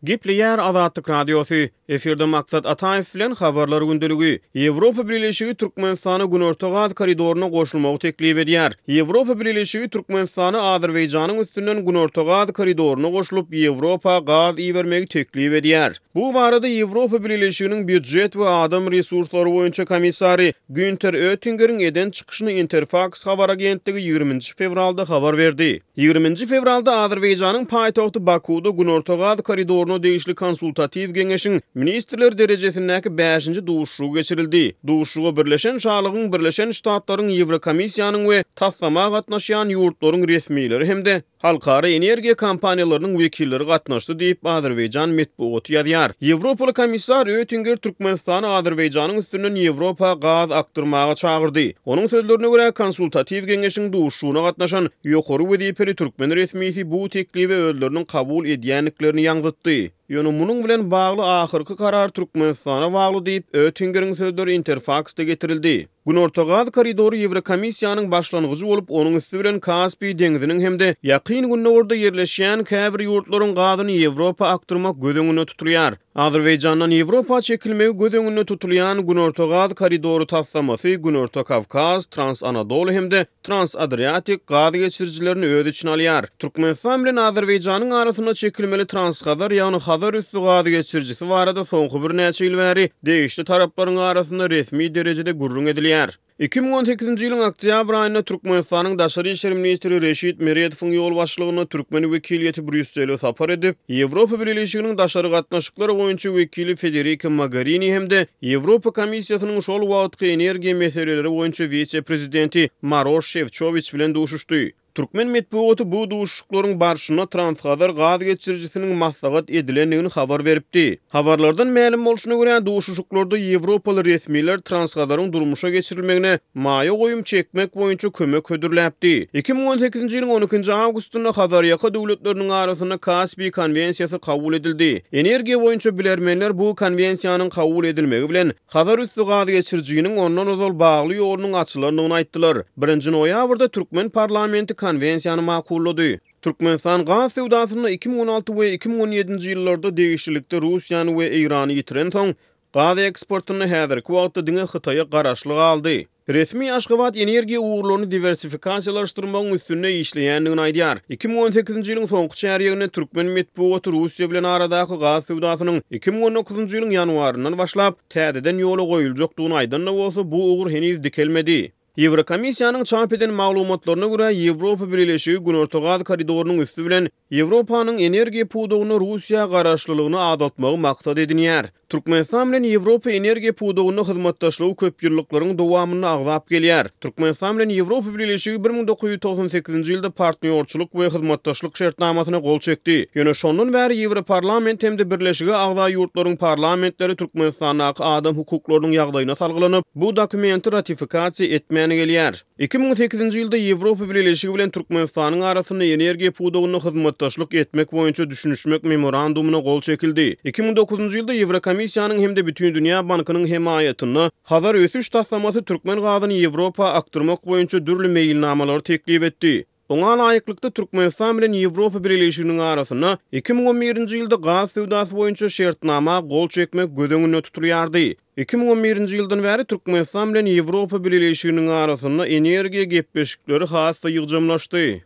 Gepleýär Azatlyk Radiosy, Efirde Maksat Ataýew bilen Habarlar gündeligi. Ýewropa Bileleşigi Türkmenistana Günorta gaz koridoryna goşulmagy teklip edýär. Ýewropa Bileleşigi Türkmenistana Azerbaýjanyň üstünden Günorta gaz koridoryna goşulyp, Ýewropa gaz ibermegi teklip edýär. Bu barada Ýewropa Bileleşiginiň býujet we adam resurslary boýunça komissary Günter Öttingeriň eden çykyşyny Interfaks habar agentligi ýigriminji fewralda habar berdi. Ýigriminji fewralda Azerbaýjanyň paýtagty Bakuwda Günorta gaz koridoryna degişli konsultatiw geňeşiň ministrler derejesindäki bäşinji duşuşygy geçirildi. Duşuşyga Birleşen Şalygyň, Birleşen Ştatlaryň, Ýewrokomissiýanyň we taslama gatnaşýan ýurtlaryň resmileri hem-de halkara energiýa kompaniýalarynyň wekilleri gatnaşdy diýip, azerbaýjan metbugaty ýazýar. Ýewropaly komissar Öttinger Türkmenistany Azerbaýjanyň üstünden Ýewropa gaz akdyrmaga çagyrdy. Onuň sözlerine görä, konsultatiw geňeşiň duşuşygyna gatnaşan ýokary wezipeli türkmen resmisi bu teklibi özleriniň kabul edýändiklerini ýaňzytdy. Ýöne munuň bilen bagly ahyrky karar Türkmenistana bagly diýip, Öttingeriň sözleri Interfaksda getirildi. Günorta gaz koridory Ýewrokomissiýanyň başlangyjy bolup, onuň üsti bilen Kaspiý deňziniň hem-de Ýakyn Gündogarda ýerleşýän käbir ýurtlaryň gazyny Ýewropa akdyrmak göz öňünde tutulýar. Azerbaýjandan Ýewropa çekilmegi göz öňünde tutulýan Günorta gaz koridory taslamasy Günorta Kawkaz, Trans-Anadoly hem-de Trans-Adriatik gaz geçirijilerini öz içine alýar. Türkmenistan bilen Azerbaýjanyň arasynda çekilmeli Trans-Hazar, ýagny Hazar üsti gaz geçirijisi barada soňky birnäçe ýyl bäri degişli taraplaryň arasynda resmi derejede gürrüň edilýär. 2018-nji ýylyň oktýabr aýynda Türkmenistanyň daşary işler ministri Reşit Meredowyň ýolbaşçylygynda türkmen wekiliýeti Brýussele sapar edip, Ýewropa Bileleşiginiň daşary gatnaşyklar boýunça wekili Federika Mogerini hem-de Ýewropa Komissiýasynyň şol wagtky energiýa meseleleri boýunça wise-prezidenti Maroş Şefçowiç bilen duşuşdy. Türkmen metbugaty bu duşuşyklaryň barşynda Transhazar gaz geçirijisiniň maslahat edilendigini habar beripdi. Habarlardan mälim bolşuna görä, duşuşyklarda ýewropaly resmiler Transhazaryň durmuşa geçirilmegine maýa goýum çekmek boýunça kömek hödürläpdi. 2018-nji ýylyň on ikinji awgustynda Hazarýaka döwletleriniň arasynda Kaspiý konwensiýasy kabul edildi. Energiýa boýunça bilermenler bu konwensiýanyň kabul edilmegi bilen, Hazar üsti gaz geçirijiniň ondan ozal bagly ýolunyň açylandygyny aýtdylar. Birinji noýabrda türkmen parlamenti konwensiýany makullady. Türkmenistan gaz söwdasynda 2016 we 2017-nji ýyllarda degişlilikde Russiýany we Eýrany ýitirensoň, gaz eksportynda häzirki wagtda diňe Hytaýa garaşly galdy. Resmi Aşgabat energiýa ugurlaryny diwersifikasiýalaşdyrmagyň üstünde işleýändigini aýdýar. 2018-nji ýylyň soňky çärýeginde türkmen metbugaty Russiýa bilen aradaky gaz söwdasynyň 2019-njy ýylyň ýanwaryndan başlap, täzeden ýola goýuljakdygyny aýdan-da bolsa, bu ugur heniz dikelmedi. Ýewrokomissiýanyň çap eden maglumatlaryna görä, Ýewropa Bileleşigi Günorta gaz koridorynyň üsti bilen Ýewropanyň energiýa pudagynda Russiýa garaşlylygyny azaltmagy maksat edinýär. Türkmenistan bilen Ýewropa energiýa pudagynda hyzmatdaşlygy köpýyllyklaryň dowamynda agzap gelýär. Türkmenistan bilen Ýewropa Bileleşigi 1998-nji ýylda Partnýorçylyk we hyzmatdaşlyk şertnamasyna gol çekdi. Ýöne şondan bäri Ýewroparlament hem-de Birleşige agza ýurtlaryň parlamentleri Türkmenistandaky adam hukuklarynyň ýagdaýyna salgylanyp, bu dokumenti ratifikasiýa etmän gelýär. 2008-nji ýylda Ýewropa Bileleşigi bilen Türkmenistanyň arasynda energiýa pudagynda hyzmatdaşlyk etmek boýunça düşünişmek Memorandumyna gol çekildi. 2009-njy ýylda Ýewrokomissiýanyň hem-de Bütindünýä bankynyň hemaýatynda Hazar ösüş taslamasy türkmen gazyny Ýewropa akdyrmak boýunça dürli meýilnamalary teklip etdi. Oňa laýyklykda, Türkmenistan bilen Ýewropa Bileleşiginiň arasynda 2011-nji ýylda gaz söwdasy boýunça şertnama gol çekmek göz öňünde tutulýardy. 2011-nji ýyldan bäri Türkmenistan bilen Ýewropa Bileleşiginiň arasynda energiýa gepleşikleri has-da ýygjamlaşdy.